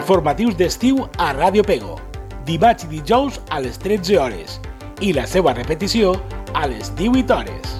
Informatius d'estiu a Ràdio Pego, dimarts i dijous a les 13 hores i la seva repetició a les 18 hores.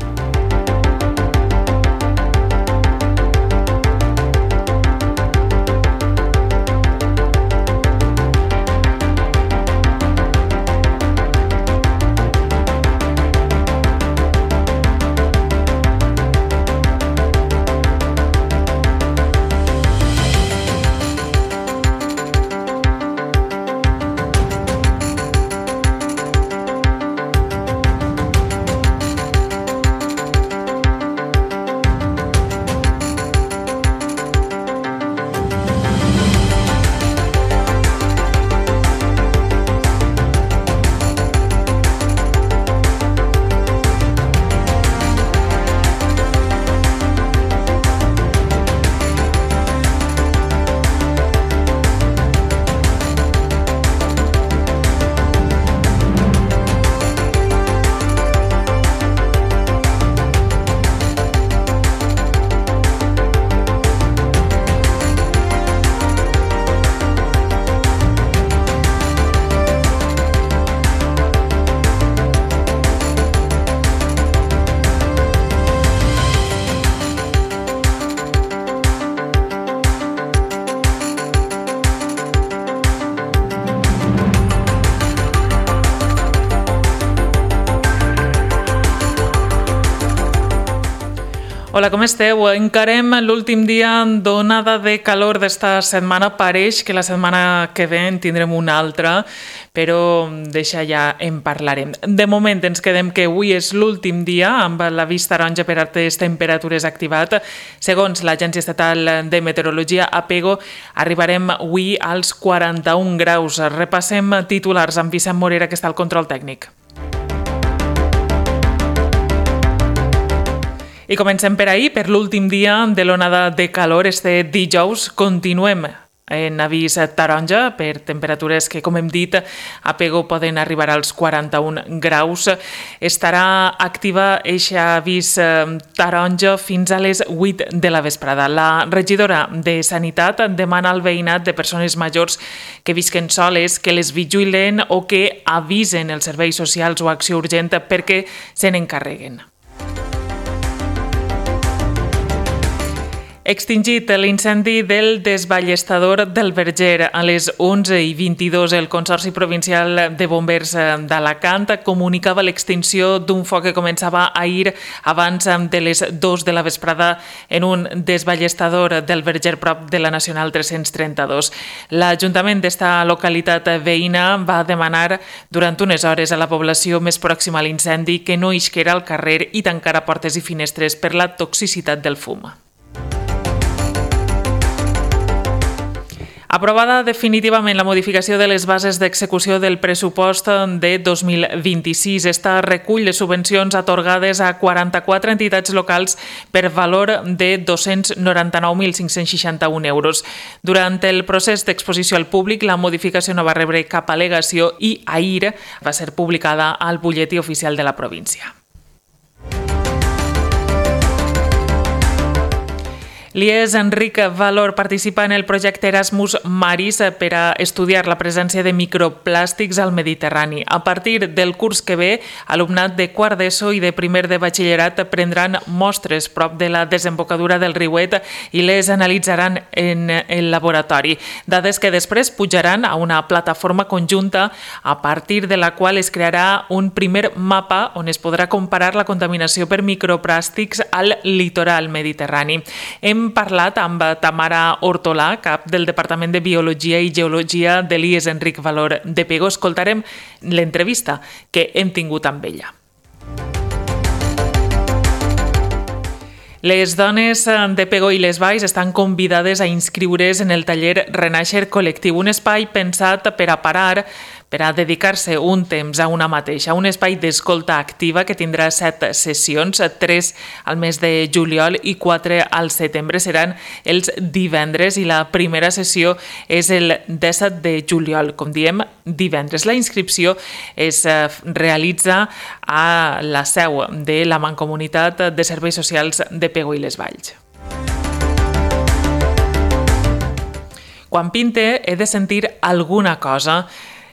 Hola, com esteu? Encarem l'últim dia d'onada de calor d'esta setmana. Pareix que la setmana que ve en tindrem una altra, però d'això ja en parlarem. De moment ens quedem que avui és l'últim dia amb l'avís taronja per altes temperatures activat. Segons l'Agència Estatal de Meteorologia, a Pego, arribarem avui als 41 graus. Repassem titulars amb Vicent Morera, que està al control tècnic. I comencem per ahir, per l'últim dia de l'onada de calor. Este dijous continuem en avís taronja per temperatures que, com hem dit, a Pego poden arribar als 41 graus. Estarà activa eixa avís taronja fins a les 8 de la vesprada. La regidora de Sanitat demana al veïnat de persones majors que visquen soles que les vigilen o que avisen els serveis socials o acció urgent perquè se n'encarreguen. Extingit l'incendi del desballestador del Verger. A les 11:22, el Consorci Provincial de Bombers d'Alacant comunicava l'extinció d'un foc que començava ahir abans de les 2 de la vesprada en un desballestador del Verger prop de la Nacional 332. L'Ajuntament d'esta localitat veïna va demanar durant unes hores a la població més pròxima a l'incendi que no isquera al carrer i tancara portes i finestres per la toxicitat del fum. Aprovada definitivament la modificació de les bases d'execució del pressupost de 2026. Esta recull les subvencions atorgades a 44 entitats locals per valor de 299.561 euros. Durant el procés d'exposició al públic, la modificació no va rebre cap al·legació i ahir va ser publicada al butlletí oficial de la província. L'IES Enric Valor participa en el projecte Erasmus Maris per a estudiar la presència de microplàstics al Mediterrani. A partir del curs que ve, alumnat de quart d'ESO i de primer de batxillerat prendran mostres prop de la desembocadura del riuet i les analitzaran en el laboratori. Dades que després pujaran a una plataforma conjunta a partir de la qual es crearà un primer mapa on es podrà comparar la contaminació per microplàstics al litoral mediterrani. Hem parlat amb Tamara Hortolà, cap del Departament de Biologia i Geologia de l'IES Enric Valor de Pego. Escoltarem l'entrevista que hem tingut amb ella. Les dones de Pego i les Valls estan convidades a inscriure's en el taller Renaixer Col·lectiu, un espai pensat per a parar, per a dedicar-se un temps a una mateixa, un espai d'escolta activa que tindrà 7 sessions, 3 al mes de juliol i 4 al setembre. Seran els divendres i la primera sessió és el 17 de juliol, com diem, divendres. La inscripció es realitza a la seu de la Mancomunitat de Serveis Socials de Pego i les Valls. Quan pinte he de sentir alguna cosa.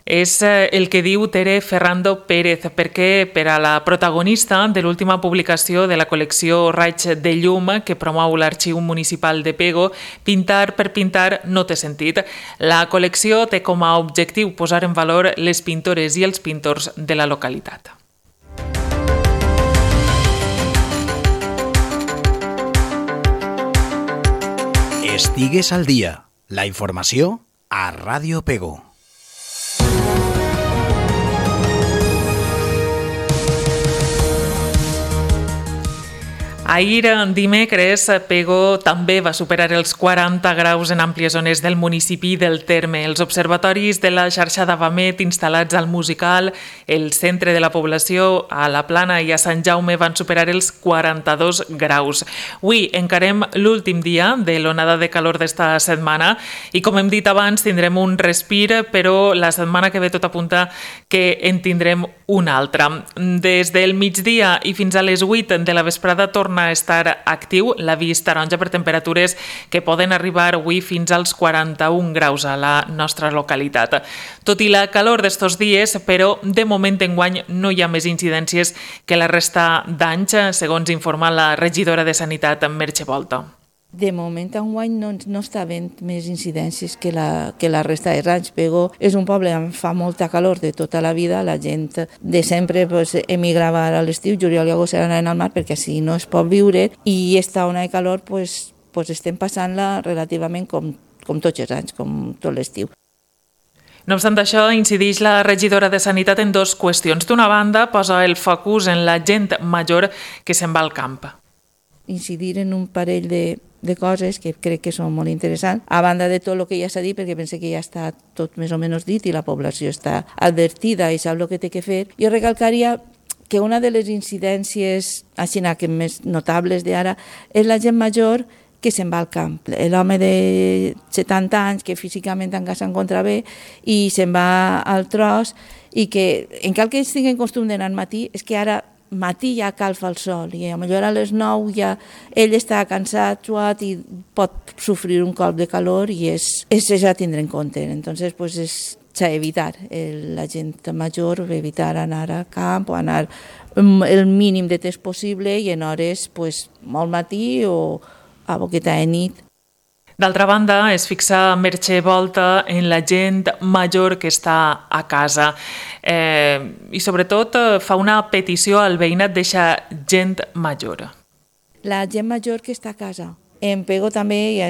És el que diu Tere Ferrando Pérez, perquè per a la protagonista de l'última publicació de la col·lecció Raig de Llum que promou l'Arxiu Municipal de Pego, pintar per pintar no té sentit. La col·lecció té com a objectiu posar en valor les pintores i els pintors de la localitat. Estigues al dia. La informació a Ràdio Pego. Ahir, dimecres, Pego també va superar els 40 graus en àmplies zones del municipi del terme. Els observatoris de la xarxa d'Avamet instal·lats al Musical, el centre de la població, a la Plana i a Sant Jaume van superar els 42 graus. Avui encarem l'últim dia de l'onada de calor d'esta setmana i, com hem dit abans, tindrem un respir, però la setmana que ve tot apunta que en tindrem una altra. Des del migdia i fins a les 8 de la vesprada torna a estar actiu l'avís taronja per temperatures que poden arribar avui fins als 41 graus a la nostra localitat. Tot i la calor d'estos dies, però de moment enguany no hi ha més incidències que la resta d'anys, segons informa la regidora de Sanitat, Merche Volta. De moment, enguany no està havent més incidències que la resta dels anys. Pego és un poble on fa molta calor de tota la vida, la gent de sempre emigrava a l'estiu, juliol i agost anaven al mar perquè així no es pot viure, i esta ona de calor estem passant-la relativament com tots els anys, com tot l'estiu. No obstant això, incideix la regidora de Sanitat en dues qüestions. D'una banda, posa el focus en la gent major que se'n va al camp. Incidir en un parell de coses que crec que són molt interessants, a banda de tot el que ja s'ha dit, perquè pense que ja està tot més o menys dit i la població està advertida i sap el que té que fer. Jo recalcaria que una de les incidències així que més notables d'ara és la gent major que se'n va al camp. L'home de 70 anys que físicament encara s'encontra bé i se'n va al tros, i que encara que ells tinguin costum d'anar al matí, és que ara matí ja calfa el sol i potser a les 9 ja ell està cansat, suat, i pot sofrir un colp de calor, i és ja tindre en compte. Entonces, s'ha d'evitar la gent major, evitar anar al camp o anar el mínim de temps possible i en hores molt matí o a boqueta de nit. D'altra banda, es fixa Merche Volta en la gent major que està a casa i sobretot fa una petició al veïnat d'eixa gent major. La gent major que està a casa. En Pego també ja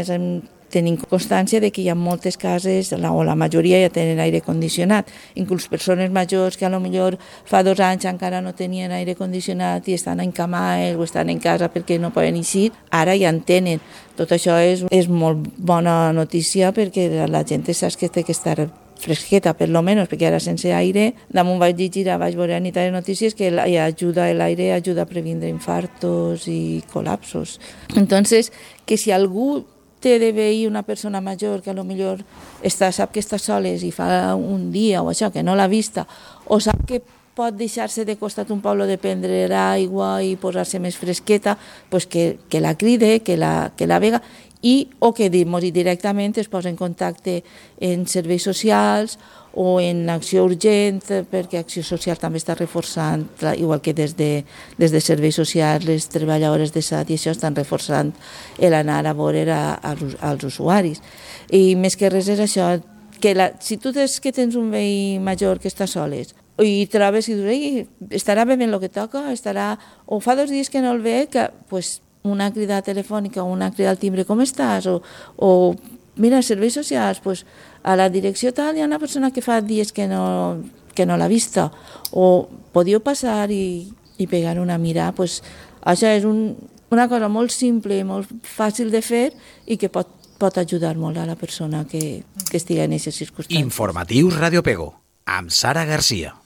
tenim constància de que hi ha moltes cases, o la majoria ja tenen aire condicionat. Inclús persones majors que potser fa 2 anys encara no tenien aire condicionat i estan encamats o estan en casa perquè no poden eixir, ara ja en tenen. Tot això és molt bona notícia perquè la gent sap que té que estar fresqueta, per lo menos, perquè ara sense aire, damunt vaig llegir, vaig veure a les notícies que l'aire ajuda a previndre infartos i col·lapsos. Entonces, que si algú té de veí una persona major que potser sap que està soles i fa un dia o això, que no l'ha vista, o sap que pot deixar-se de costat un poble de prendre aigua i posar-se més fresqueta, que la cride, que la vega, o que directament es posa en contacte en serveis socials o en acció urgent, perquè Acció Social també està reforçant, igual que des de serveis socials, les treballadores de SAT i això estan reforçant l'anar a veure als usuaris. I més que res és això, que si tu tens un veí major que està soles i trobes i dius, estarà bevent el que toca, o fa 2 dies que no el ve, que una crida telefònica o una crida al timbre, com estàs? O mira, serveis socials, a la direcció tal hi ha una persona que fa dies que no l'ha vista, o podíeu passar i pegar una mirada. Això és una cosa molt simple i molt fàcil de fer i que pot ajudar molt a la persona que estigui en aquestes circumstàncies. Informatius Ràdio Pego, amb Sara Garcia.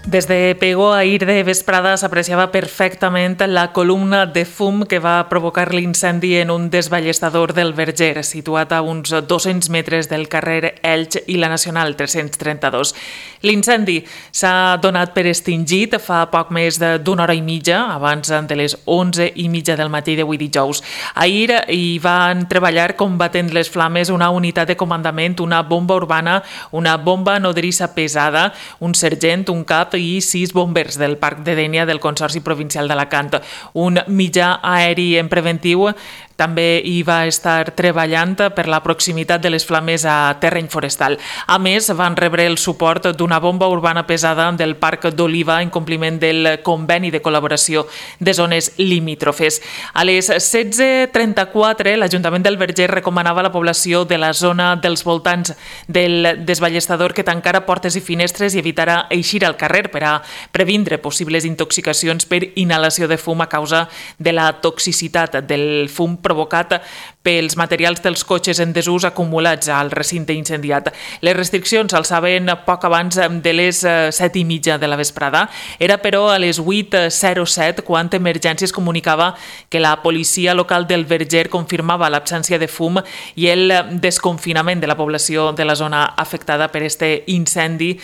Des de Pego, ahir de vesprada s'apreciava perfectament la columna de fum que va provocar l'incendi en un desballestador del Verger, situat a uns 200 metres del carrer Elx i la Nacional 332. L'incendi s'ha donat per extingit fa poc més d'una hora i mitja, abans de les 11:30 del matí d'avui dijous. Ahir hi van treballar combatent les flames una unitat de comandament, una bomba urbana, una bomba nodrissa pesada, un sergent, un cap i 6 bombers del Parc de Dénia del Consorci Provincial d'Alacant. Un mitjà aeri en preventiu també hi va estar treballant per la proximitat de les flames a terreny forestal. A més, van rebre el suport d'una bomba urbana pesada del Parc d'Oliva en compliment del conveni de col·laboració de zones limítrofes. A les 16:34, l'Ajuntament del Verger recomanava a la població de la zona dels voltants del desballestador que tancara portes i finestres i evitara eixir al carrer per a previndre possibles intoxicacions per inhalació de fum a causa de la toxicitat del fum provocat pels materials dels cotxes en desús acumulats al recinte incendiat. Les restriccions s'alçaven poc abans de les 7:30 de la vesprada. Era, però, a les 8:07 quan Emergències comunicava que la policia local del Verger confirmava l'absència de fum i el desconfinament de la població de la zona afectada per este incendi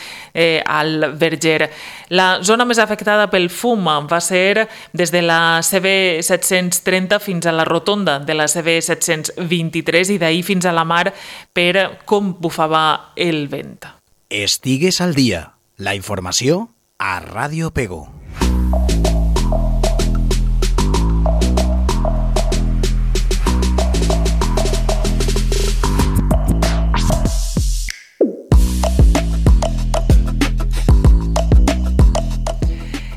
al Verger. La zona més afectada pel fum va ser des de la CB 730 fins a la rotonda de la CB 723 i d'ahir fins a la mar per com bufava el vent. Estigues al dia. La informació a Ràdio Pego.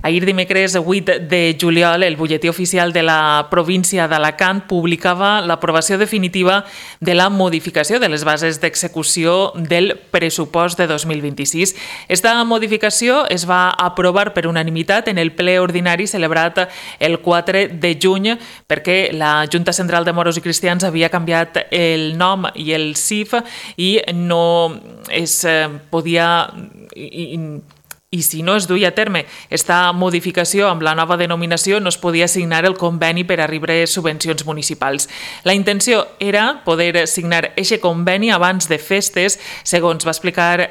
Ahir dimecres 8 de juliol, el butlletí oficial de la província d'Alacant publicava l'aprovació definitiva de la modificació de les bases d'execució del pressupost de 2026. Esta modificació es va aprovar per unanimitat en el ple ordinari celebrat el 4 de juny perquè la Junta Central de Moros i Cristians havia canviat el nom i el CIF i no es podia... I si no es duia a terme esta modificació amb la nova denominació, no es podia signar el conveni per a rebre subvencions municipals. La intenció era poder signar eixe conveni abans de festes, segons va explicar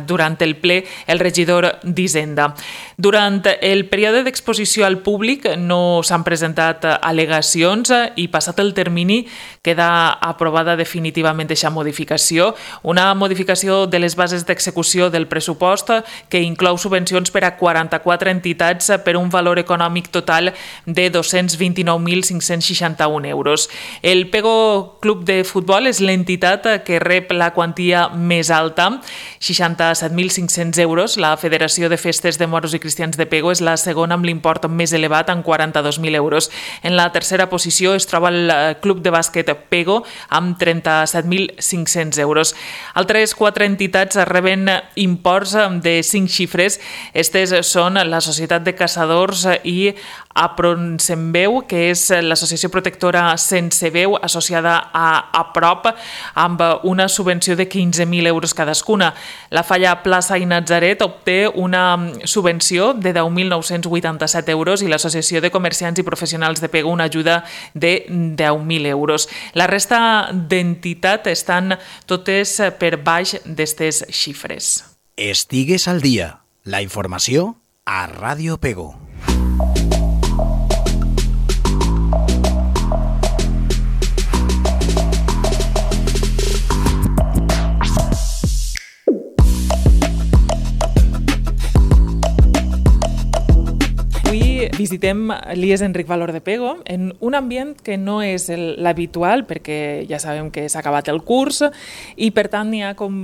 durant el ple el regidor d'Hisenda. Durant el període d'exposició al públic no s'han presentat al·legacions i passat el termini queda aprovada definitivament eixa modificació, una modificació de les bases d'execució del pressupost que inclou subvencions per a 44 entitats per un valor econòmic total de 229.561 euros. El Pego Club de Futbol és l'entitat que rep la quantia més alta, 67.500 euros. La Federació de Festes de Moros i Cristians de Pego és la segona amb l'import més elevat, amb 42.000 euros. En la tercera posició es troba el Club de Bàsquet Pego, amb 37.500 euros. Altres 4 entitats reben imports de 5 xifres. Estes són la Societat de Caçadors i Apronsembeu, que és l'associació protectora Sense Veu, associada a APROP, amb una subvenció de 15.000 euros cadascuna. La Falla Plaça i Natzaret obté una subvenció de 10.987 euros i l'Associació de Comerciants i Professionals de Pego una ajuda de 10.000 euros. La resta d'entitats estan totes per baix d'estes xifres. Estigues al dia. La informació a Ràdio Pego. Avui visitem l'IES Enric Valor de Pego en un ambient que no és l'habitual perquè ja sabem que s'ha acabat el curs i per tant n'hi ha com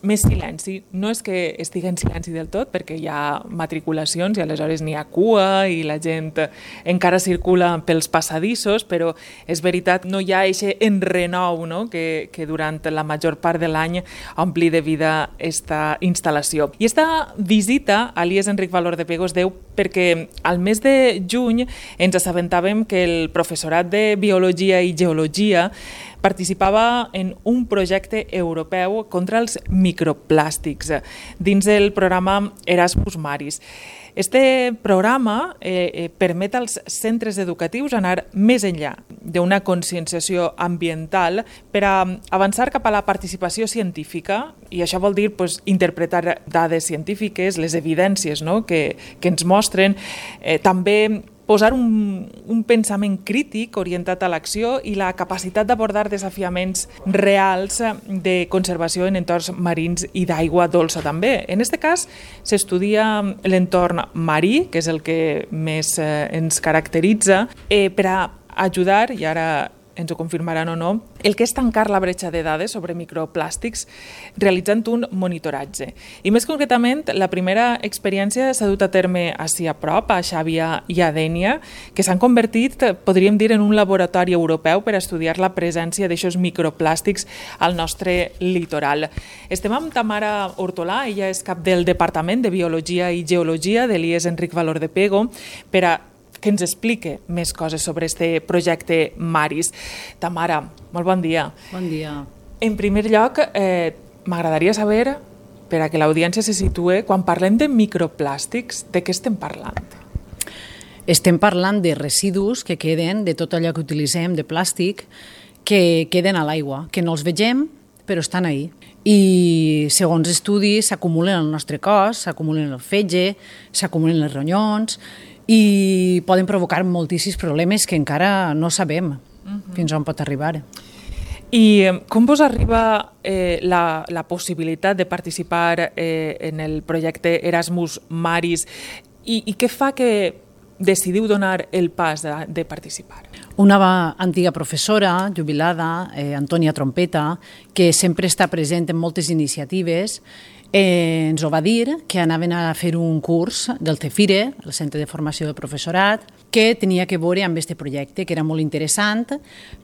més silenci. No és que estigui en silenci del tot, perquè hi ha matriculacions i aleshores n'hi ha cua i la gent encara circula pels passadissos, però és veritat, no hi ha aquest enrenou, no? que durant la major part de l'any ompli de vida esta instal·lació. I esta visita a l'IES Enric Valor de Pego es deu perquè al mes de juny ens assabentàvem que el professorat de Biologia i Geologia participava en un projecte europeu contra els microplàstics dins del programa Erasmus Maris. Este programa permet als centres educatius anar més enllà d'una conscienciació ambiental per a avançar cap a la participació científica, i això vol dir interpretar dades científiques, les evidències que ens mostren, també posar un pensament crític orientat a l'acció i la capacitat d'abordar desafiaments reals de conservació en entorns marins i d'aigua dolça també. En aquest cas s'estudia l'entorn marí, que és el que més ens caracteritza, per a ajudar, i ara ens ho confirmaran o no, el que és tancar la bretxa de dades sobre microplàstics realitzant un monitoratge. I més concretament, la primera experiència s'ha dut a terme així a prop, a Xàbia i a Dénia, que s'han convertit, podríem dir, en un laboratori europeu per a estudiar la presència d'aixòs microplàstics al nostre litoral. Estem amb Tamara Hortolà, ella és cap del Departament de Biologia i Geologia de l'IES Enric Valor de Pego, per a que ens explique més coses sobre este projecte Maris. Tamara, molt bon dia. Bon dia. En primer lloc, m'agradaria saber, per a que l'audiència se situe, quan parlem de microplàstics, de què estem parlant? Estem parlant de residus que queden, de tot allò que utilitzem de plàstic, que queden a l'aigua, que no els vegem, però estan ahí. I segons estudis s'acumulen al nostre cos, s'acumulen al fetge, s'acumulen els ronyons, i poden provocar moltíssims problemes que encara no sabem fins on pot arribar. I com vos arriba la possibilitat de participar en el projecte Erasmus Maris i què fa que decidiu donar el pas de participar? Una antiga professora jubilada, Antònia Trompeta, que sempre està present en moltes iniciatives, ens ho va dir, que anaven a fer un curs del CEFIRE, el Centre de Formació del Professorat, que tenia que veure amb aquest projecte, que era molt interessant,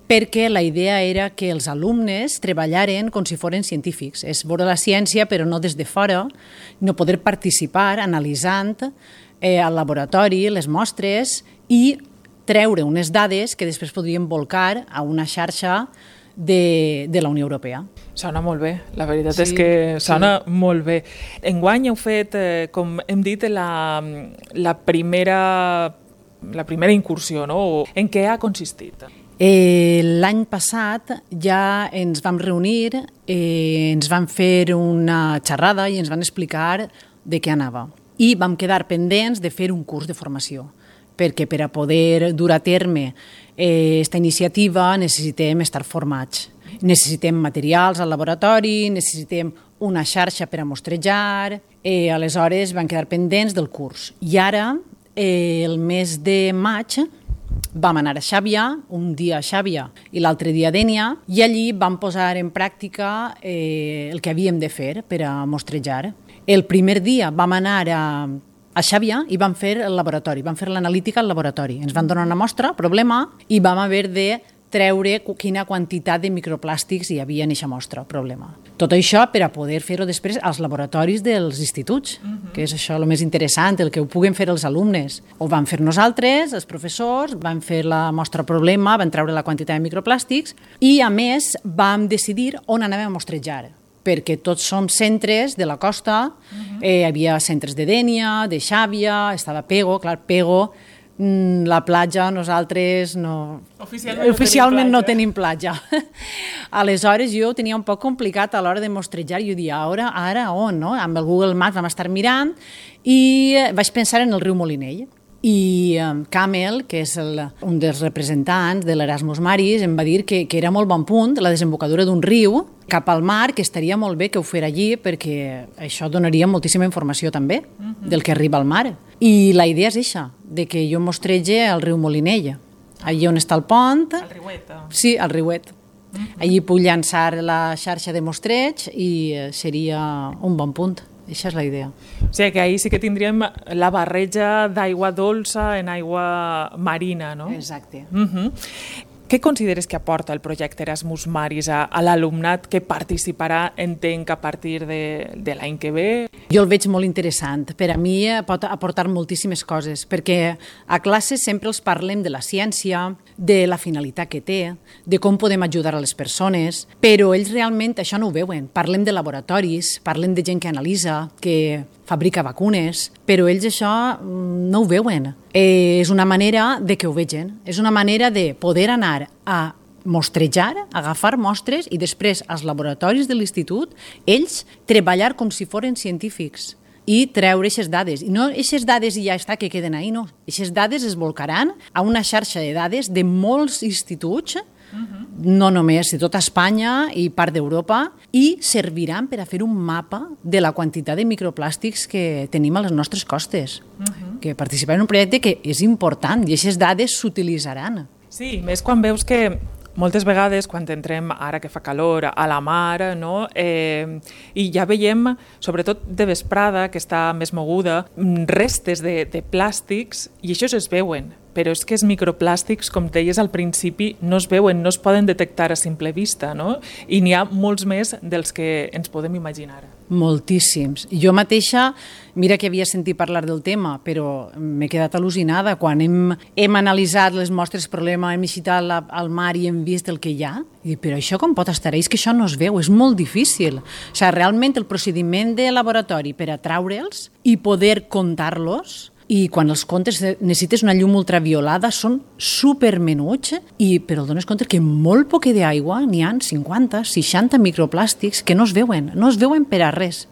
perquè la idea era que els alumnes treballaren com si foren científics. És veure la ciència, però no des de fora, no poder participar analitzant al laboratori les mostres i treure unes dades que després podrien volcar a una xarxa de la Unió Europea. Sona molt bé, la veritat és que sona molt bé. Enguany heu fet, com hem dit, la primera incursió, no? En què ha consistit? L'any passat ja ens vam reunir, ens van fer una xerrada i ens van explicar de què anava. I vam quedar pendents de fer un curs de formació, perquè per a poder dur a terme aquesta iniciativa necessitem estar formats. Necessitem materials al laboratori, necessitem una xarxa per a mostrejar, aleshores van quedar pendents del curs. I ara, el mes de maig, vam anar a Xàbia, un dia a Xàbia i l'altre dia a Dénia, i allí vam posar en pràctica el que havíem de fer per a mostrejar. El primer dia vam anar a Xàbia i vam fer el laboratori, vam fer l'analítica al laboratori. Ens van donar una mostra, problema, i vam haver de treure quina quantitat de microplàstics hi havia en aquesta mostra, problema. Tot això per a poder fer-ho després als laboratoris dels instituts, que és això el més interessant, el que ho puguen fer els alumnes. Ho vam fer nosaltres, els professors, vam fer la mostra problema, vam treure la quantitat de microplàstics i, a més, vam decidir on anàvem a mostrejar, perquè tots som centres de la costa, hi havia centres de Dénia, de Xàbia, estava Pego, clar, Pego, la platja nosaltres no... Oficialment no tenim platja. Aleshores jo ho tenia un poc complicat a l'hora de mostrejar, jo dia, ara on, no? Amb el Google Maps vam estar mirant i vaig pensar en el riu Molinell. I Camel, que és un dels representants de l'Erasmus Maris, em va dir que era molt bon punt la desembocadura d'un riu cap al mar, que estaria molt bé que ho fera allí perquè això donaria moltíssima informació també del que arriba al mar. I la idea és això, de que jo mostrege al riu Molinell, allí on està el pont. Al riuet. Sí, al riuet. Allí puc llançar la xarxa de mostreig i seria un bon punt. Això és la idea. O sigui que ahir sí que tindríem la barreja d'aigua dolça en aigua marina, no? Exacte. Què consideres que aporta el projecte Erasmus Maris a l'alumnat que participarà, entenc, a partir de l'any que ve? Jo el veig molt interessant. Per a mi pot aportar moltíssimes coses, perquè a classe sempre els parlem de la ciència, de la finalitat que té, de com podem ajudar a les persones, però ells realment això no ho veuen. Parlem de laboratoris, parlem de gent que analitza, que fabrica vacunes, però ells això no ho veuen. És una manera de que ho vegin, és una manera de poder anar a mostrejar, agafar mostres i després als laboratoris de l'institut ells treballar com si foren científics i treure aquestes dades. I no aquestes dades i ja està, que queden ahí, no. Aquestes dades es volcaran a una xarxa de dades de molts instituts, no només de tota Espanya i part d'Europa, i serviran per a fer un mapa de la quantitat de microplàstics que tenim a les nostres costes. Que participar en un projecte que és important i aquestes dades s'utilitzaran. Sí, més quan veus que moltes vegades, quan entrem, ara que fa calor, a la mar, no? I ja veiem, sobretot de vesprada, que està més moguda, restes de plàstics, i això es veuen. Però és que els microplàstics, com deies al principi, no es veuen, no es poden detectar a simple vista, no? I n'hi ha molts més dels que ens podem imaginar. Moltíssims. Jo mateixa, mira que havia sentit parlar del tema, però m'he quedat al·lucinada quan hem analitzat les mostres problema, hem visitat al mar i hem vist el que hi ha. I dic, però això com pot estar? És que això no es veu, és molt difícil. O sigui, realment el procediment de laboratori per a traure'ls i poder comptar-los, i quan els comptes necessites una llum ultraviolada, són supermenuts, però dones compte que molt poc d'aigua n'hi ha 50, 60 microplàstics que no es veuen per a res.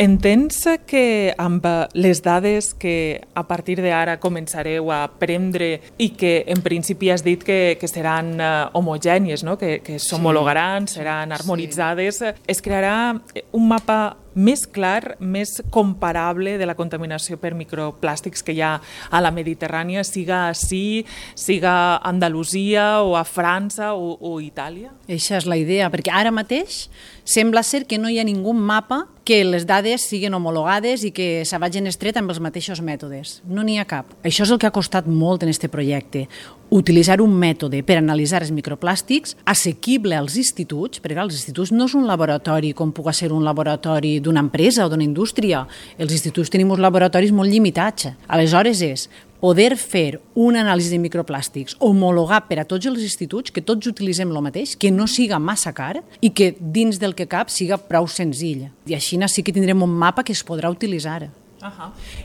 Entens que amb les dades que a partir d'ara començareu a prendre i que en principi has dit que seran homogènies, no? que s'homologaran, seran harmonitzades, es crearà un mapa més clar, més comparable de la contaminació per microplàstics que hi ha a la Mediterrània, siga ací, siga a Andalusia o a França o Itàlia? Això és la idea, perquè ara mateix sembla ser que no hi ha ningú mapa que les dades siguin homologades i que se vagin estret amb els mateixos mètodes. No n'hi ha cap. Això és el que ha costat molt en aquest projecte. Utilitzar un mètode per analitzar els microplàstics assequible als instituts, perquè els instituts no és un laboratori com pugui ser un laboratori d'una empresa o d'una indústria. Els instituts tenim uns laboratoris molt limitats. Aleshores és poder fer una anàlisi de microplàstics homologat per a tots els instituts, que tots utilitzem el mateix, que no siga massa car i que dins del que cap siga prou senzill. I així sí que tindrem un mapa que es podrà utilitzar.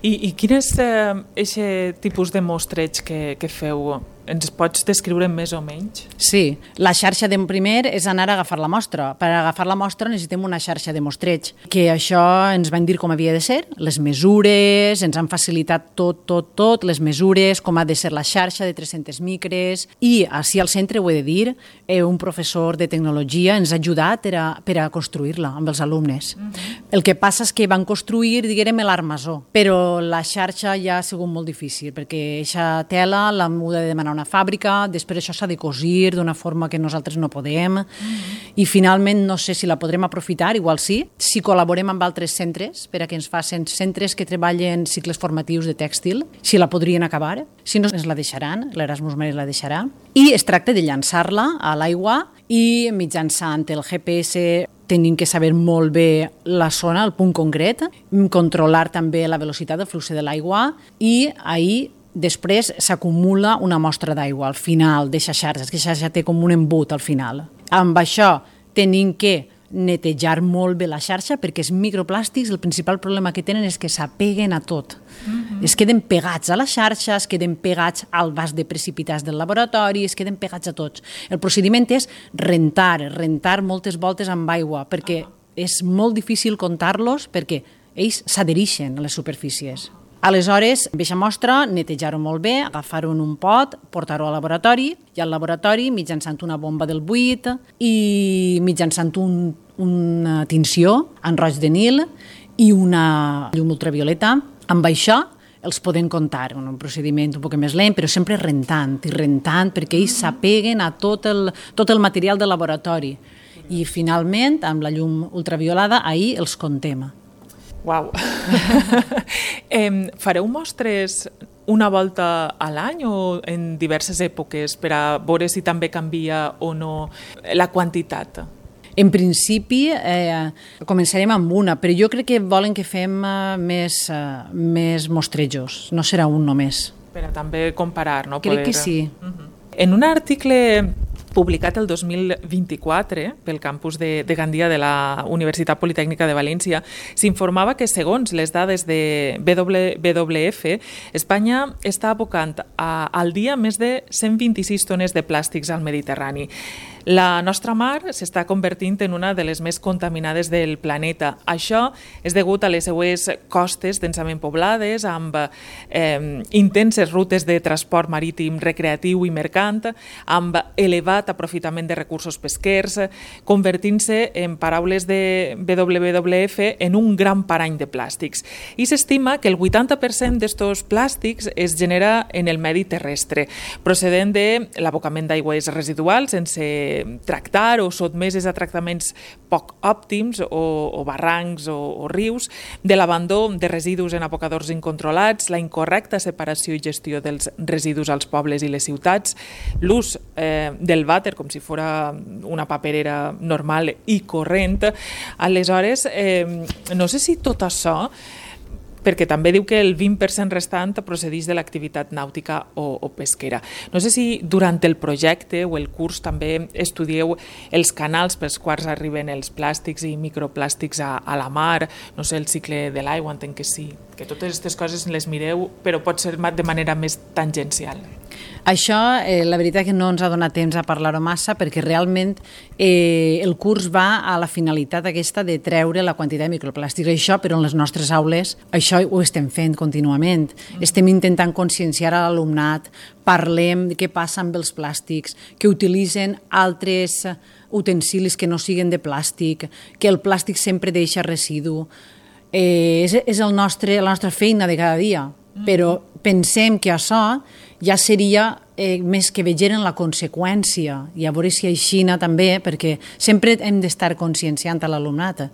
I quin és aquest tipus de mostreig que feu? Ens pots descriure més o menys? Sí, la xarxa de primer és anar a agafar la mostra. Per agafar la mostra necessitem una xarxa de mostreig, que això ens van dir com havia de ser, les mesures, ens han facilitat tot, les mesures, com ha de ser la xarxa de 300 micres, i així al centre, ho he de dir, un professor de tecnologia ens ha ajudat per a construir-la amb els alumnes. El que passa és que van construir, diguem, l'armazó, però la xarxa ja ha sigut molt difícil, perquè aquesta tela l'hem de demanar una fàbrica, després això s'ha de cosir d'una forma que nosaltres no podem, i finalment no sé si la podrem aprofitar, igual sí, si col·laborem amb altres centres, per a que ens facin centres que treballen cicles formatius de tèxtil, si la podrien acabar, si no ens la deixaran, l'Erasmus Maris la deixarà, i es tracta de llançar-la a l'aigua i mitjançant el GPS tenim que saber molt bé la zona, el punt concret, controlar també la velocitat del flux de l'aigua i ahir després s'acumula una mostra d'aigua al final d'aquesta xarxa, que xarxa té com un embut al final. Amb això tenim que netejar molt bé la xarxa perquè els microplàstics, el principal problema que tenen és que s'apeguen a tot. Es queden pegats a la xarxa, es queden pegats al vas de precipitats del laboratori, es queden pegats a tots. El procediment és rentar moltes voltes amb aigua perquè és molt difícil comptar-los perquè ells s'adhereixen a les superfícies. Aleshores, amb aquesta mostra, netejar-ho molt bé, agafar-ho en un pot, portar-ho al laboratori, i al laboratori, mitjançant una bomba del buit i mitjançant una tinció en roig de Nil i una llum ultravioleta, amb això els podem comptar, un procediment un poc més lent, però sempre rentant perquè ells s'apeguen a tot el material del laboratori. I finalment, amb la llum ultraviolada, ahir els comptem. Uau! Fareu mostres una volta a l'any o en diverses èpoques per a veure si també canvia o no la quantitat? En principi, començarem amb una, però jo crec que volen que fem més mostrejos, no serà un només. Per a també comparar, no? Crec que sí. En un article publicat el 2024 pel campus de Gandia de la Universitat Politècnica de València, s'informava que, segons les dades de WWF, Espanya està abocant al dia més de 126 tones de plàstics al Mediterrani. La nostra mar s'està convertint en una de les més contaminades del planeta. Això és degut a les seues costes densament poblades, amb intenses rutes de transport marítim recreatiu i mercant, amb elevat aprofitament de recursos pesquers, convertint-se, en paraules de WWF, en un gran parany de plàstics. I s'estima que el 80% d'estos plàstics es genera en el medi terrestre, procedent de l'abocament d'aigües residuals sense tractar o sotmeses a tractaments poc òptims o barrancs o rius, de l'abandó de residus en abocadors incontrolats, la incorrecta separació i gestió dels residus als pobles i les ciutats, l'ús del vàter com si fos una paperera normal i corrent. Aleshores, no sé si tot això, perquè també diu que el 20% restant procedeix de l'activitat nàutica o pesquera. No sé si durant el projecte o el curs també estudieu els canals pels quals arriben els plàstics i microplàstics a la mar, no sé, el cicle de l'aigua, entenc que sí, que totes aquestes coses les mireu, però pot ser de manera més tangencial. Això, la veritat que no ens ha donat temps a parlar-ho massa perquè realment el curs va a la finalitat aquesta de treure la quantitat de microplàstics. Això, però en les nostres aules, això ho estem fent contínuament. Estem intentant conscienciar a l'alumnat, parlem de què passa amb els plàstics, que utilitzen altres utensilis que no siguin de plàstic, que el plàstic sempre deixa residu. És la nostra feina de cada dia, però pensem que això ja seria més que vegeren la conseqüència, i a veure si aixina també, perquè sempre hem d'estar conscienciant a l'alumnat.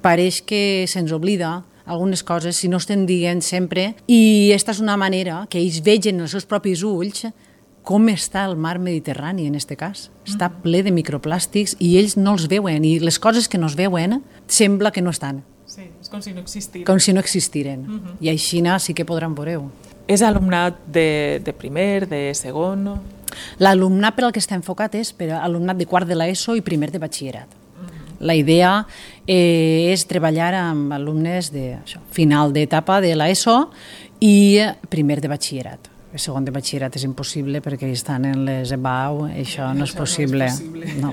Pareix que se'ns oblida algunes coses si no estem dient sempre, i aquesta és una manera que ells vegen els seus propis ulls com està el mar Mediterrani en aquest cas. Està ple de microplàstics i ells no els veuen, i les coses que no es veuen sembla que no estan. Sí, és com si no existiren. Com si no existiren. I així sí que podran veure-ho. És alumnat de primer, de segon? L'alumnat per al que està enfocat és per a alumnat de quart de l'ESO i primer de batxillerat. La idea és treballar amb alumnes de final d'etapa de l'ESO i primer de batxillerat. El segon de batxillerat és impossible perquè estan en les EBAU, això no és possible. No.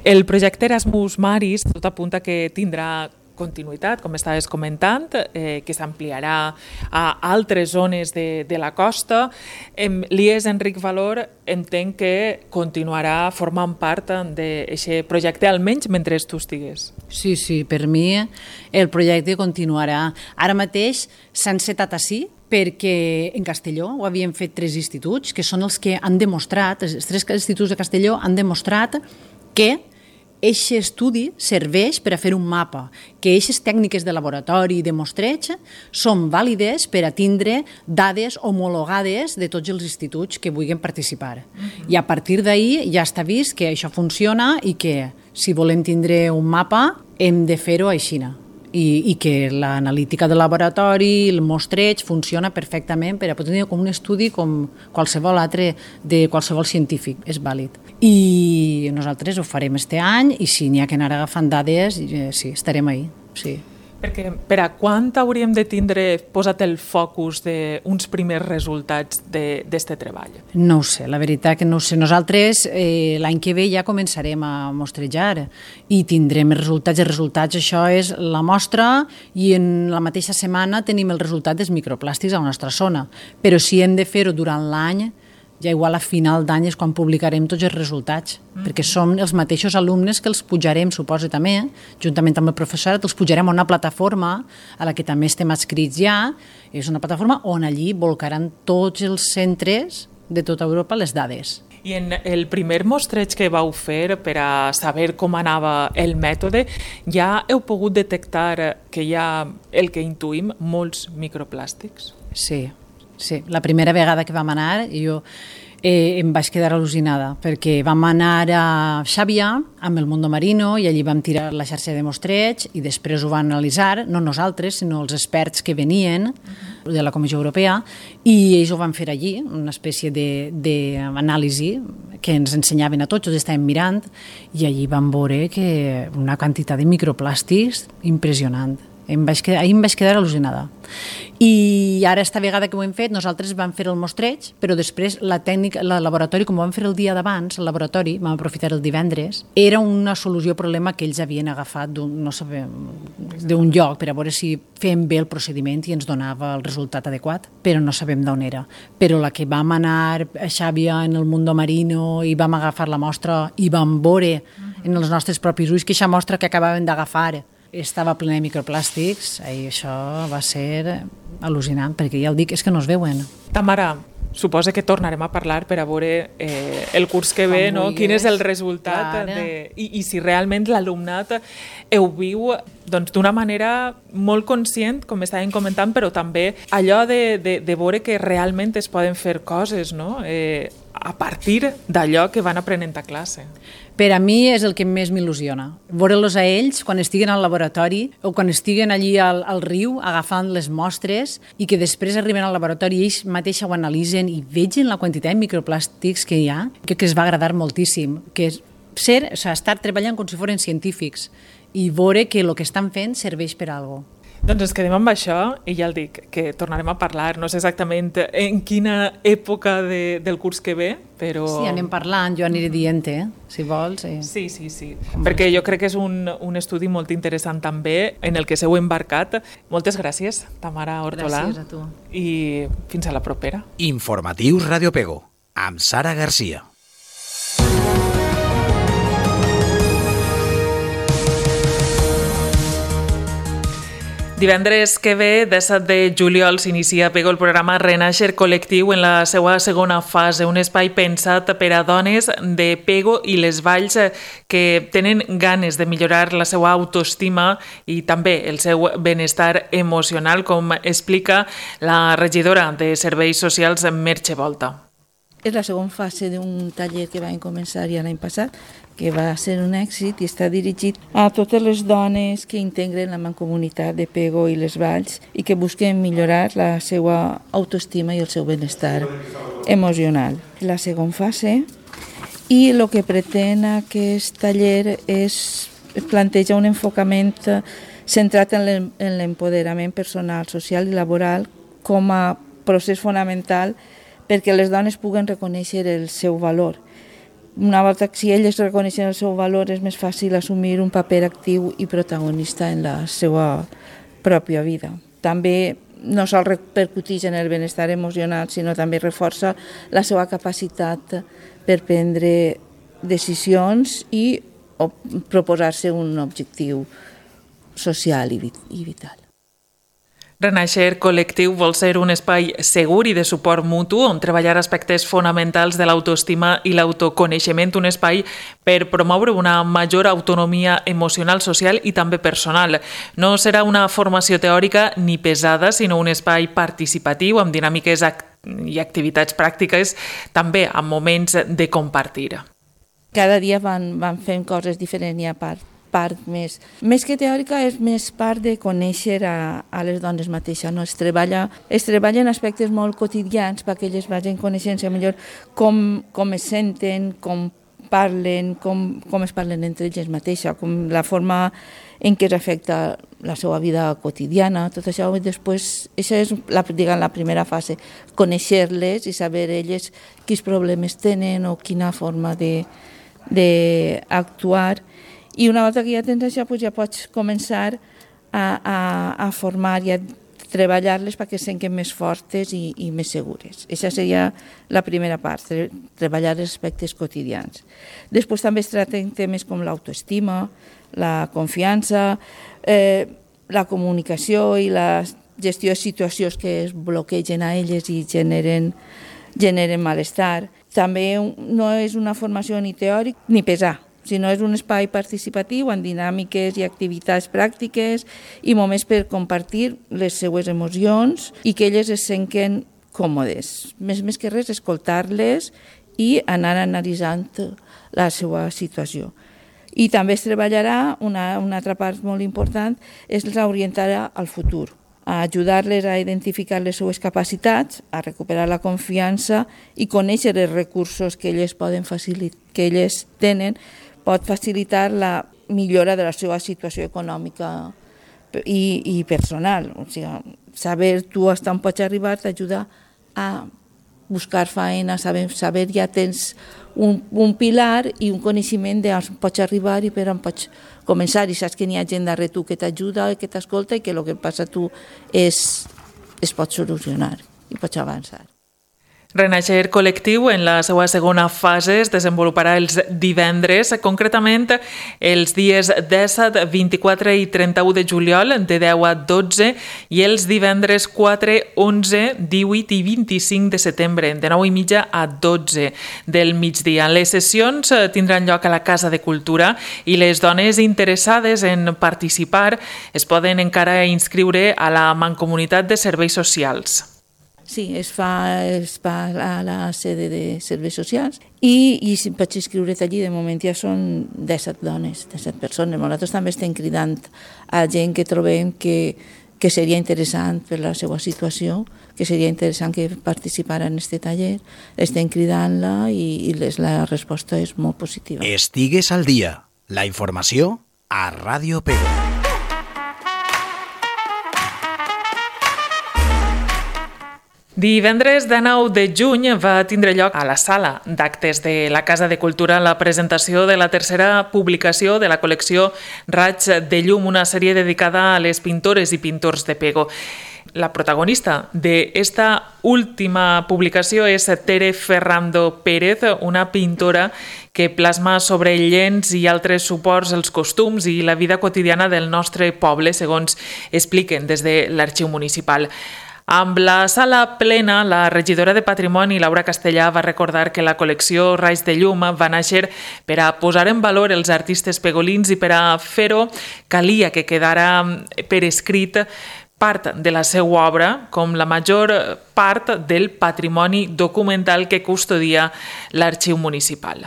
El projecte Erasmus Maris tot apunta que tindrà continuïtat, com estaves comentant, que s'ampliarà a altres zones de la costa. L'IES Enric Valor entenc que continuarà formant part d'aquest projecte, almenys mentre tu estigues. Sí, per mi el projecte continuarà. Ara mateix s'ha encetat ací, perquè en Castelló ho havien fet 3 instituts, que són els que han demostrat, els 3 instituts de Castelló han demostrat que aquest estudi serveix per a fer un mapa, que aquestes tècniques de laboratori i de mostreig són vàlides per a tindre dades homologades de tots els instituts que vulguin participar. I a partir d'ahir ja està vist que això funciona i que si volem tindre un mapa hem de fer-ho així. I que l'analítica de laboratori, el mostreig, funciona perfectament per a poder tenir com un estudi com qualsevol altre de qualsevol científic, és vàlid. I nosaltres ho farem este any i si n'hi ha que anar agafant dades, sí, estarem ahí, sí. Perquè per a quan hauríem de tindre posat el focus d'uns primers resultats d'aquest treball? No ho sé, la veritat que no ho sé. Nosaltres l'any que ve ja començarem a mostrejar i tindrem els resultats. Els resultats, això és la mostra, i en la mateixa setmana tenim el resultat dels microplàstics a la nostra zona. Però si hem de fer-ho durant l'any, ja igual a final d'any és quan publicarem tots els resultats, perquè som els mateixos alumnes que els pujarem, suposo també, juntament amb el professorat, els pujarem a una plataforma a la que també estem adscrits ja. És una plataforma on allí volcaran tots els centres de tota Europa les dades. I en el primer mostreig que vau fer per a saber com anava el mètode, ja heu pogut detectar que hi ha el que intuïm, molts microplàstics? Sí. La primera vegada que vam anar, jo em vaig quedar al·lucinada, perquè vam anar a Xàbia amb el Mundo Marino i allí vam tirar la xarxa de mostreig i després ho van analitzar, no nosaltres, sinó els experts que venien de la Comissió Europea, i ells ho van fer allí, una espècie d'anàlisi que ens ensenyaven a tots, ho estàvem mirant, i allí vam veure que una quantitat de microplàstics impressionant. Ahir em vaig quedar al·lucinada. I ara, esta vegada que ho hem fet, nosaltres vam fer el mostreig, però després la tècnica, el laboratori, com ho vam fer el dia d'abans, el laboratori, vam aprofitar el divendres, era una solució al problema que ells havien agafat d'un lloc per a veure si fèiem bé el procediment i ens donava el resultat adequat, però no sabem d'on era. Però la que vam anar a Xàbia en el Mundo Marino i vam agafar la mostra i vam veure en els nostres propis ulls que aquesta mostra que acabàvem d'agafar estava plena de microplàstics, i això va ser al·lucinant, perquè ja el dic, és que no es veuen. Tamara, suposa que tornarem a parlar per a veure el curs que ve, no? Quin és el resultat i si realment l'alumnat ho viu d'una manera molt conscient, com estàvem comentant, però també allò de veure que realment es poden fer coses, no? A partir d'allò que van aprenent a classe. Per a mi és el que més m'il·lusiona. Veure-los a ells quan estiguen al laboratori o quan estiguen allí al riu agafant les mostres i que després arriben al laboratori i ells mateixos ho analitzen i vegen la quantitat de microplàstics que hi ha, que es va agradar moltíssim, que és estar treballant com si foren científics i veure que el que estan fent serveix per a alguna cosa. Doncs ens quedem amb això i ja el dic, que tornarem a parlar, no sé exactament en quina època del curs que ve, però... Sí, anem parlant, jo aniré dient, si vols. Sí, perquè jo crec que és un estudi molt interessant també, en el que s'heu embarcat. Moltes gràcies, Tamara Hortolà. Gràcies a tu. I fins a la propera. Informatius Radio Pego, amb Sara Garcia. Divendres que ve, 17 de juliol, s'inicia a Pego el programa Renaixer Col·lectiu en la seva segona fase, un espai pensat per a dones de Pego i les Valls que tenen ganes de millorar la seva autoestima i també el seu benestar emocional, com explica la regidora de Serveis Socials, Merche Volta. És la segona fase d'un taller que vam començar ja l'any passat, que va ser un èxit i està dirigit a totes les dones que integren la mancomunitat de Pego i les Valls i que busquen millorar la seva autoestima i el seu benestar emocional. La segona fase, i el que pretén aquest taller és plantejar un enfocament centrat en l'empoderament personal, social i laboral com a procés fonamental perquè les dones puguen reconèixer el seu valor. Una volta que si elles reconeixen el seu valor és més fàcil assumir un paper actiu i protagonista en la seva pròpia vida. També no sol repercuteix en el benestar emocional, sinó també reforça la seva capacitat per prendre decisions i proposar-se un objectiu social i vital. Renaixer Col·lectiu vol ser un espai segur i de suport mutu on treballar aspectes fonamentals de l'autoestima i l'autoconeixement, un espai per promoure una major autonomia emocional, social i també personal. No serà una formació teòrica ni pesada, sinó un espai participatiu amb dinàmiques i activitats pràctiques, també amb moments de compartir. Cada dia van fent coses diferents i a part més que teòrica, és més part de conèixer a les dones mateixes. No? Es treballa en aspectes molt quotidians perquè elles vagin coneixent-se millor com es senten, com parlen, com es parlen entre elles mateixes, com la forma en què es afecta la seva vida quotidiana, tot això. I després, això és la primera fase, conèixer-les i saber elles quins problemes tenen o quina forma d'actuar. I una volta que ja tens això, ja pots començar a formar i a treballar-les perquè es senten més fortes i més segures. Aquesta seria la primera part, treballar els aspectes quotidians. Després també es tracten temes com l'autoestima, la confiança, la comunicació i la gestió de situacions que es bloquegen a elles i generen malestar. També no és una formació ni teòrica ni pesada, sinó és un espai participatiu amb dinàmiques i activitats pràctiques i moments per compartir les seues emocions i que elles es senten còmodes. Més que res, escoltar-les i anar analitzant la seva situació. I també es treballarà, una altra part molt important, és l'orientar al futur, a ajudar-les a identificar les seues capacitats, a recuperar la confiança i conèixer els recursos que elles tenen, pot facilitar la millora de la seva situació econòmica i personal. O sigui, saber tu fins on pots arribar t'ajuda a buscar feina, saber ja tens un pilar i un coneixement d'on pots arribar i per on pots començar, i saps que n'hi ha gent darrere tu que t'ajuda, que t'escolta i que el que passa a tu es pot solucionar i pots avançar. Renaixer Col·lectiu en la seva segona fase es desenvoluparà els divendres, concretament els dies 17, 24 i 31 de juliol de 10 a 12 i els divendres 4, 11, 18 i 25 de setembre de 9:30 a 12 del migdia. Les sessions tindran lloc a la Casa de Cultura i les dones interessades en participar es poden encara inscriure a la Mancomunitat de Serveis Socials. Sí, es fa a la sede de Serveis Socials i si pots inscriure't allí, de moment ja són 17 dones, 17 persones. Nosaltres també estem cridant a gent que trobem que seria interessant per la seva situació, que seria interessant que participara en aquest taller. Estem cridant-la i la resposta és molt positiva. Estigues al dia. La informació a Ràdio Pego. Divendres 19 de juny va tindre lloc a la sala d'actes de la Casa de Cultura la presentació de la tercera publicació de la col·lecció Raig de Llum, una sèrie dedicada a les pintores i pintors de Pego. La protagonista d'esta última publicació és Tere Ferrando Pérez, una pintora que plasma sobre llenç i altres suports els costums i la vida quotidiana del nostre poble, segons expliquen des de l'Arxiu Municipal. Amb la sala plena, la regidora de Patrimoni, Laura Castellà, va recordar que la col·lecció Raig de Llum va néixer per a posar en valor els artistes pegolins i per a fer-ho calia que quedara per escrit part de la seva obra, com la major part del patrimoni documental que custodia l'Arxiu Municipal.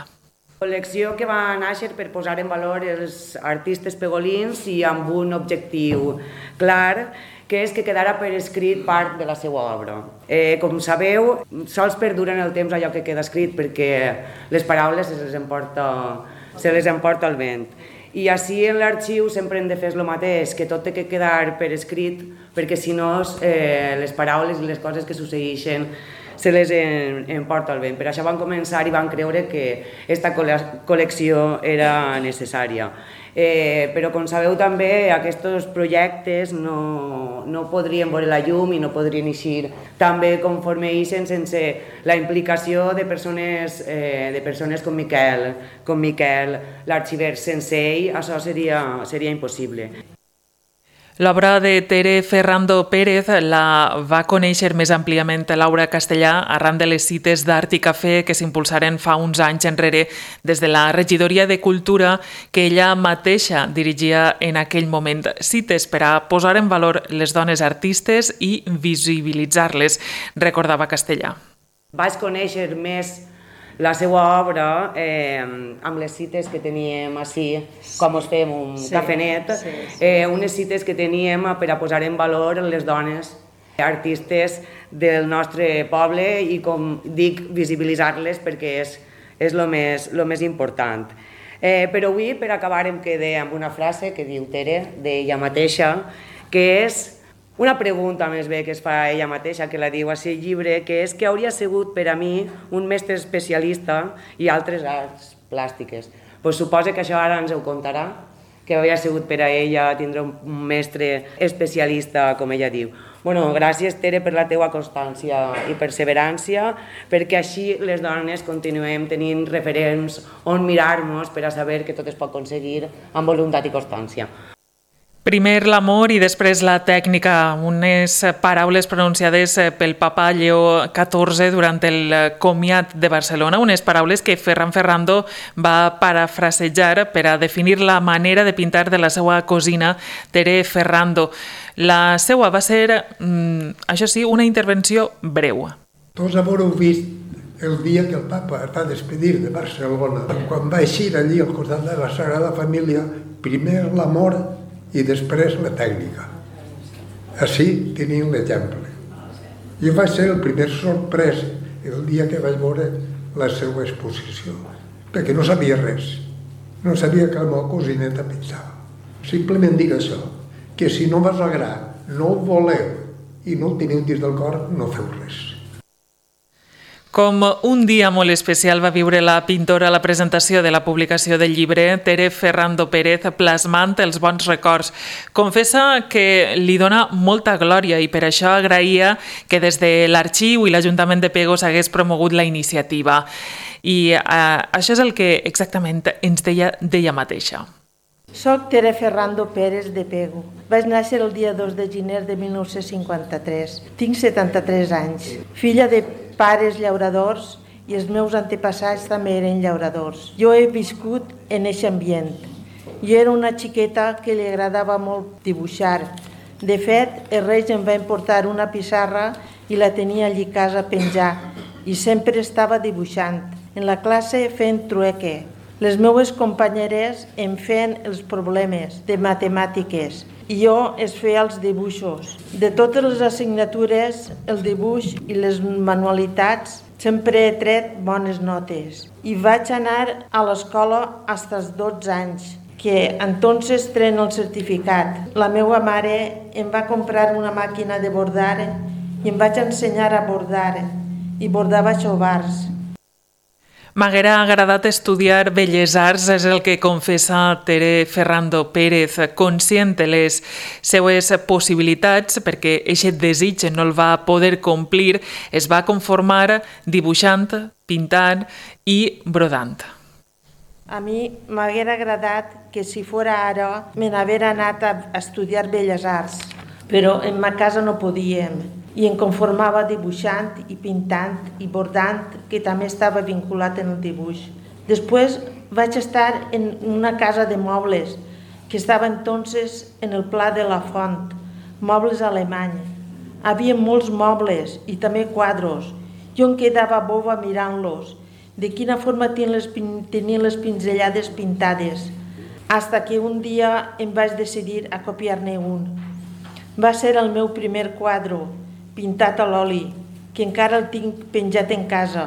Col·lecció que va néixer per posar en valor els artistes pegolins i amb un objectiu clar, que és que quedara per escrit part de la seva obra. Com sabeu, sols perdura en el temps allò que queda escrit perquè les paraules se les emporta el vent. I així en l'arxiu sempre hem de fer el mateix, que tot té que quedar per escrit, perquè si no les paraules i les coses que succeeixen se les emporta el vent. Per això van començar i van creure que aquesta col·lecció era necessària. Però com sabeu també, aquests projectes no podrien veure la llum i no podrien eixir també conforme eixen sense la implicació de persones com Miquel, l'arxiver. Sense ell això seria impossible. L'obra de Tere Ferrando Pérez la va conèixer més àmpliament Laura Castellà arran de les cites d'Art i Cafè que s'impulsaren fa uns anys enrere des de la regidoria de Cultura que ella mateixa dirigia en aquell moment. Cites per a posar en valor les dones artistes i visibilitzar-les, recordava Castellà. Vaig conèixer més la seva obra amb les cites que teníem així, com us fem un cafenet, unes cites que teníem per a posar en valor les dones artistes del nostre poble i, com dic, visibilitzar-les perquè és el més important. Però avui, per acabar, em quedé amb una frase que diu Tere, d'ella mateixa, que és una pregunta més bé que es fa ella mateixa, que la diu a aquest llibre, que és que hauria sigut per a mi un mestre especialista i altres arts plàstiques. Pues suposa que això ara ens ho contarà, que hauria sigut per a ella tindre un mestre especialista, com ella diu. Bueno, gràcies, Tere, per la teua constància i perseverància, perquè així les dones continuem tenint referents on mirar-nos per a saber que tot es pot aconseguir amb voluntat i constància. Primer l'amor i després la tècnica, unes paraules pronunciades pel papa Lleó XIV durant el comiat de Barcelona, unes paraules que Ferran Ferrando va parafrasejar per a definir la manera de pintar de la seva cosina Tere Ferrando. La seva va ser, això sí, una intervenció breu. Tots haureu vist el dia que el papa es va despedir de Barcelona, quan va eixir allí al costat de la Sagrada Família, primer l'amor i després la tècnica. Així tenim l'exemple. Jo vaig ser el primer sorprès el dia que vaig veure la seva exposició, perquè no sabia res. No sabia que la meva cosineta pensava. Simplement dic això, que si no vas agradar, no ho voleu i no ho teniu dins del cor, no feu res. Com un dia molt especial va viure la pintora a la presentació de la publicació del llibre Tere Ferrando Pérez, plasmant els bons records. Confessa que li dona molta glòria i per això agraïa que des de l'Arxiu i l'Ajuntament de Pego s'hagués promogut la iniciativa. I això és el que exactament ens deia d'ella mateixa. Soc Tere Ferrando Pérez de Pego. Vaig néixer el dia 2 de gener de 1953. Tinc 73 anys. Filla de pares llauradors i els meus antepassats també eren llauradors. Jo he viscut en aquest ambient. Jo era una xiqueta que li agradava molt dibuixar. De fet, els Reis em van portar una pissarra i la tenia allí a casa a penjar i sempre estava dibuixant. En la classe fent trueque. Les meves companyeres em feien els problemes de matemàtiques i jo es feia els dibuixos. De totes les assignatures, el dibuix i les manualitats sempre he tret bones notes. I vaig anar a l'escola fins als 12 anys, que entonces tren el certificat. La meva mare em va comprar una màquina de bordar i em vaig ensenyar a bordar i bordava xovars. M'haguera agradat estudiar Belles Arts, és el que confessa Tere Ferrando Pérez, conscient de les seues possibilitats, perquè aquest desig no el va poder complir, es va conformar dibuixant, pintant i brodant. A mi m'haguera agradat que si fora ara me n'haguera anat a estudiar Belles Arts, però en ma casa no podíem. I em conformava dibuixant i pintant i bordant, que també estava vinculat en el dibuix. Després vaig estar en una casa de mobles, que estava entonces en el Pla de la Font, mobles alemany. Havia molts mobles i també quadros. Jo em quedava boba mirant-los, de quina forma tenien les pinzellades pintades, hasta que un dia em vaig decidir a copiar-ne un. Va ser el meu primer quadre, pintat a l'oli, que encara el tinc penjat en casa.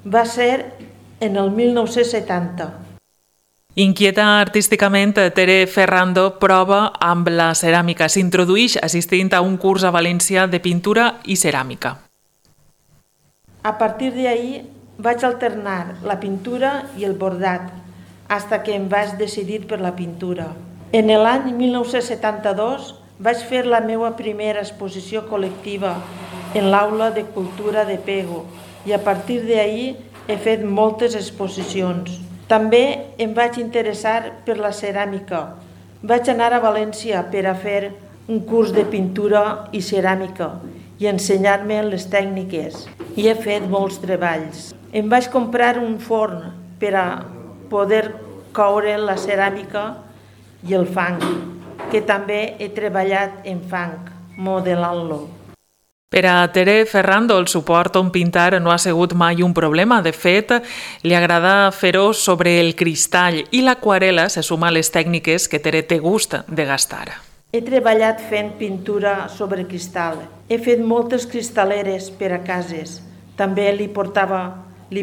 Va ser en el 1970. Inquieta artísticament, Tere Ferrando prova amb la ceràmica. S'introdueix assistint a un curs a València de pintura i ceràmica. A partir d'ahir vaig alternar la pintura i el bordat, fins que em vaig decidir per la pintura. En l'any 1972 vaig fer la meva primera exposició col·lectiva en l'Aula de Cultura de Pego i a partir d'ahir he fet moltes exposicions. També em vaig interessar per la ceràmica. Vaig anar a València per a fer un curs de pintura i ceràmica i ensenyar-me les tècniques. I he fet molts treballs. Em vaig comprar un forn per a poder coure la ceràmica i el fang, que també he treballat en fang, modelant-lo. Per a Tere Ferrando, el suport on pintar no ha sigut mai un problema. De fet, li agrada fer-ho sobre el cristall i l'aquarela se suma a les tècniques que Tere té gust de gastar. He treballat fent pintura sobre cristall. He fet moltes cristal·leres per a cases. També li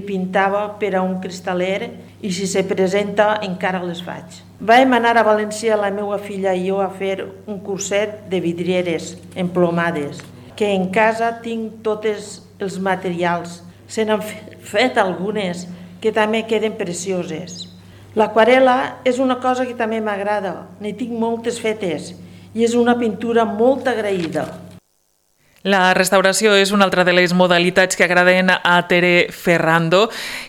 pintava per a un cristaller i si se presenta encara les faig. Vam anar a València, la meva filla i jo, a fer un curset de vidrieres emplomades, que en casa tinc tots els materials. Se n'han fet algunes que també queden precioses. L'aquarela és una cosa que també m'agrada. N'hi tinc moltes fetes i és una pintura molt agraïda. La restauració és una altra de les modalitats que agraden a Tere Ferrando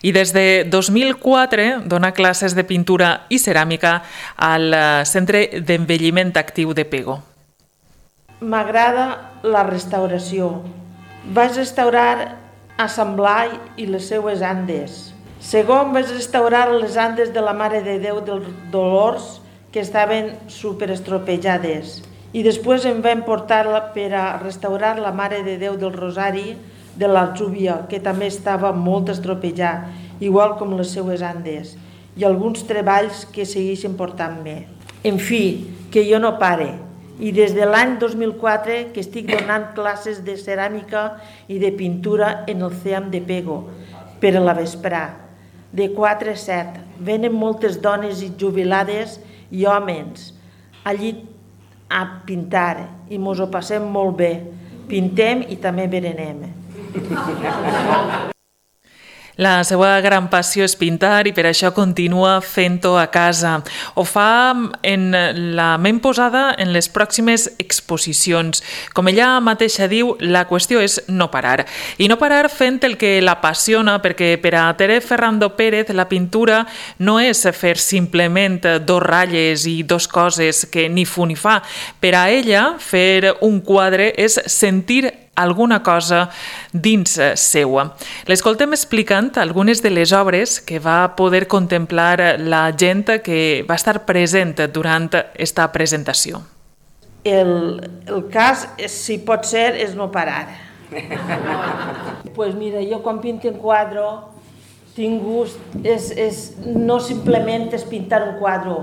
i des de 2004 dona classes de pintura i ceràmica al Centre d'Envelliment Actiu de Pego. M'agrada la restauració. Vaig restaurar a Sant Blai i les seues Andes. Segon, vaig restaurar les Andes de la Mare de Déu dels Dolors, que estaven superestropejades. I després em van portar per a restaurar la Mare de Déu del Rosari de l'Alzúbia, que també estava molt estropejada, igual com les seues Andes, i alguns treballs que segueixen portant-me. En fi, que jo no pare. I des de l'any 2004 que estic donant classes de ceràmica i de pintura en el CEAM de Pego, per a la vesprà, de 4 a 7. Venen moltes dones jubilades i homes allí a pintar i mos ho passem molt bé. Pintem i també berenem. La seva gran passió és pintar i per això continua fent-ho a casa. Ho fa en la ment posada en les pròximes exposicions. Com ella mateixa diu, la qüestió és no parar. I no parar fent el que l'apassiona, perquè per a Tere Ferrando Pérez la pintura no és fer simplement 2 ratlles i 2 coses que ni fu ni fa. Per a ella, fer un quadre és sentir alguna cosa dins seua. L'escoltem explicant algunes de les obres que va poder contemplar la gent que va estar present durant esta presentació. El cas, si pot ser, és no parar. Pues mira, jo quan pinto un quadre tinc gust, no simplement és pintar un quadre,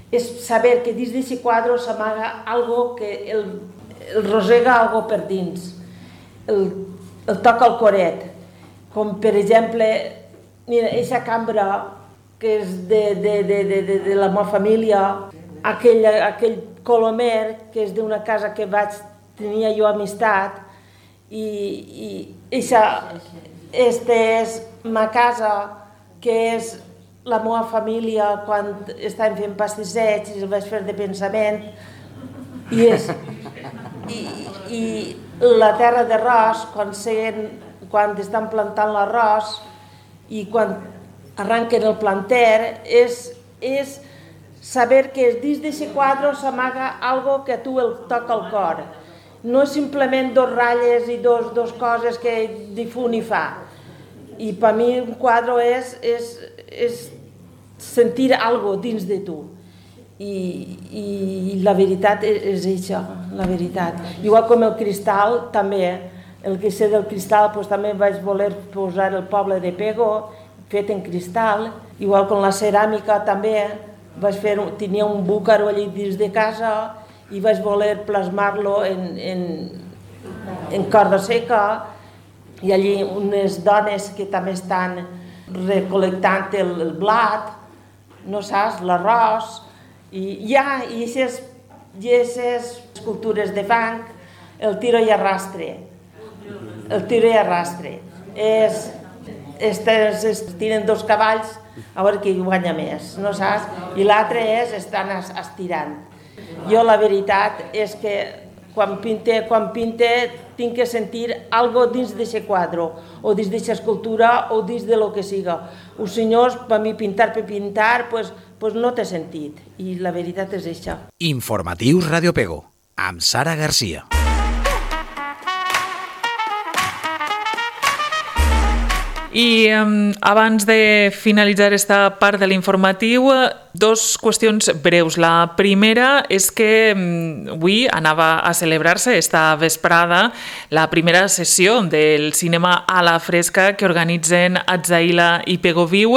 és saber que dins d'aquest quadre s'amaga algo que el rosega algo per dins. El toca el coret, com per exemple, mira, aquesta cambra que és de la meva família, aquell colomer que és d'una casa que tenia jo amistat, i aquesta és ma casa, que és la meva família quan estàvem fent pastissets i el vaig fer de pensament, i la terra d'arròs, quan estan plantant l'arròs i quan arranquen el planter, és saber que dins d'aquest quadre s'amaga algo que a tu el toca el cor. No és simplement 2 ratlles i 2 coses que ni fu ni fa. I per mi un quadre és sentir algo dins de tu. I la veritat és això, la veritat. Igual com el cristal, també, el que sé del cristal, també vaig voler posar el poble de Pego, fet en cristal. Igual com la ceràmica, també, tenia un búcaro allí dins de casa i vaig voler plasmar-lo en corda seca, i allí unes dones que també estan recol·lectant el blat, no saps, l'arròs, i aquestes escultures de fang, el tiro i arrastre. El tiro i arrastre. Es tiren 2 cavalls a veure qui guanya més, no saps? I l'altre estan estirant. Jo la veritat és que quan pinte tinc que sentir algo dins d'aquest quadre, o dins d'aquesta escultura, o dins de lo que siga. Els senyors, per mi, pintar per pintar, pues no té sentit. I la veritat és això. Informatius Radio Pego, amb Sara Garcia. I abans de finalitzar esta part de l'informatiu, 2 qüestions breus. La primera és que avui anava a celebrar-se esta vesprada la primera sessió del cinema a la fresca que organitzen Atzaïla i Pego Viu.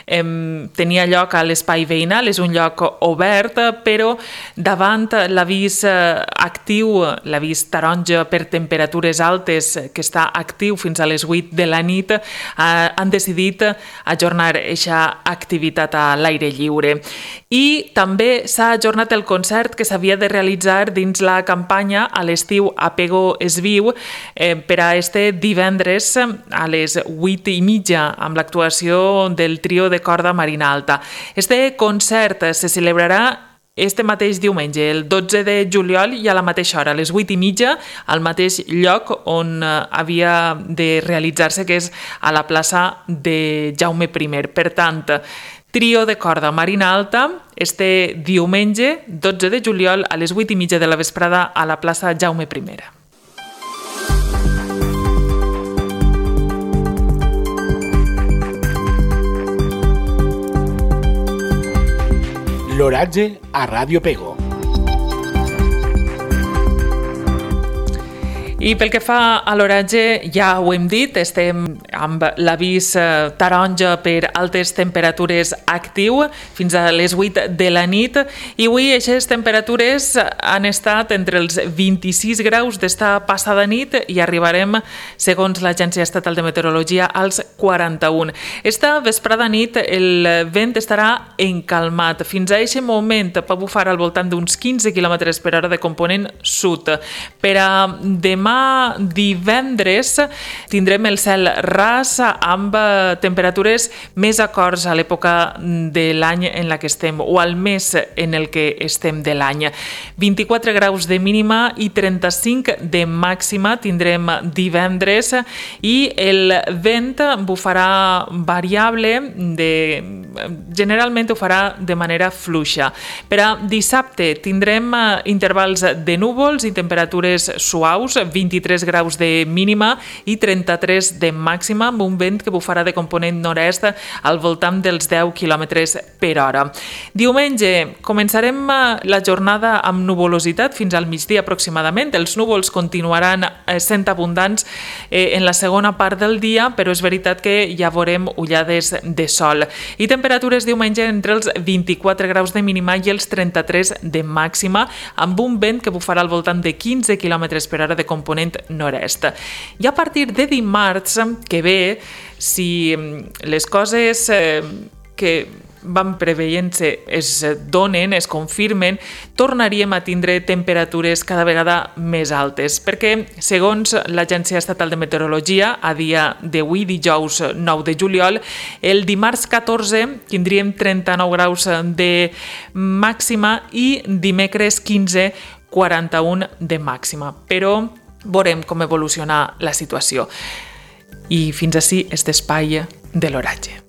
Tenia lloc a l'Espai Veïnal, és un lloc obert, però davant l'avís actiu, l'avís taronja per temperatures altes, que està actiu fins a les 8 de la nit, han decidit ajornar aquesta activitat a l'aire lliure. I també s'ha ajornat el concert que s'havia de realitzar dins la campanya a l'estiu a Pego es Viu per a este divendres a les 8:30 amb l'actuació del trio de corda Marina Alta. Este concert se celebrarà este mateix diumenge, el 12 de juliol, i a la mateixa hora, a les 8:30, al mateix lloc on havia de realitzar-se, que és a la plaça de Jaume I. Per tant, trio de corda Marina Alta, este diumenge, 12 de juliol, a les 8:30 de la vesprada, a la plaça Jaume I. L'oratge a Ràdio Pego. I pel que fa a l'oratge, ja ho hem dit, estem amb l'avís taronja per altes temperatures actiu fins a les 8 de la nit, i avui aquestes temperatures han estat entre els 26 graus d'esta passada nit i arribarem, segons l'Agència Estatal de Meteorologia, als 41. Esta vesprada nit el vent estarà encalmat. Fins a aquest moment va bufar al voltant d'uns 15 km per hora de component sud. Per a demà divendres tindrem el cel ras amb temperatures més acords a l'època de l'any en la que estem, o al mes en el que estem de l'any. 24 graus de mínima i 35 de màxima tindrem divendres, i el vent bufarà variable, generalment ho farà de manera fluixa. Per a dissabte tindrem intervals de núvols i temperatures suaus, 23 graus de mínima i 33 de màxima, amb un vent que bufarà de component nord-est al voltant dels 10 km per hora. Diumenge començarem la jornada amb nuvolositat fins al migdia aproximadament. Els núvols continuaran sent abundants en la segona part del dia, però és veritat que ja veurem ullades de sol. I temperatures diumenge entre els 24 graus de mínima i els 33 de màxima, amb un vent que bufarà al voltant de 15 km per hora de component nord-est. I a partir de dimarts que ve, si les coses que van preveient-se es donen, es confirmen, tornaríem a tindre temperatures cada vegada més altes, perquè, segons l'Agència Estatal de Meteorologia, a dia d'avui, dijous 9 de juliol, el dimarts 14 tindríem 39 graus de màxima i dimecres 15, 41 de màxima. Però veurem com evoluciona la situació. I fins ací este espai de l'oratge.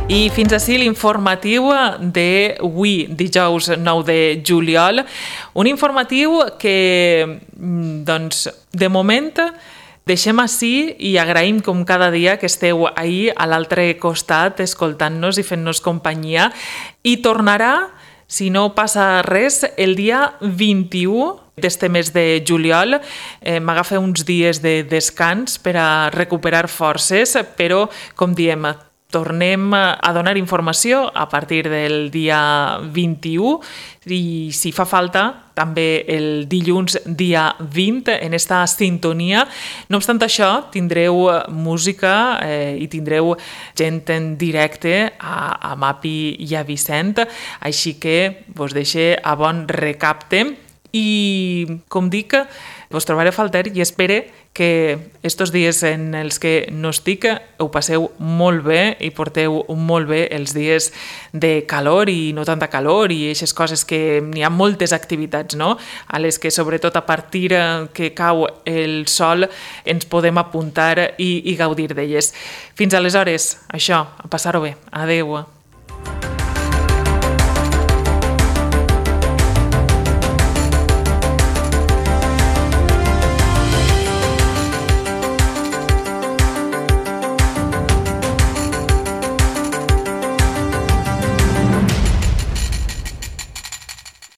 I fins ací l'informatiu d'avui, dijous 9 de juliol. Un informatiu que, doncs, de moment deixem ací i agraïm com cada dia que esteu ahir a l'altre costat escoltant-nos i fent-nos companyia, i tornarà, si no passa res, el dia 21 d'este mes de juliol. M'agafa uns dies de descans per a recuperar forces, però, com diem, tornem a donar informació a partir del dia 21 i, si fa falta, també el dilluns dia 20 en esta sintonia. No obstant això, tindreu música i tindreu gent en directe a Mapi i a Vicent, així que vos deixe a bon recapte. I, com dic, vos trobaré a faltar i espere que estos dies en els que no estic ho passeu molt bé i porteu molt bé els dies de calor i no tanta calor i aquestes coses que n'hi ha moltes activitats, no? A les que sobretot a partir que cau el sol ens podem apuntar i gaudir d'elles. Fins aleshores, això, a passar-ho bé. Adeu.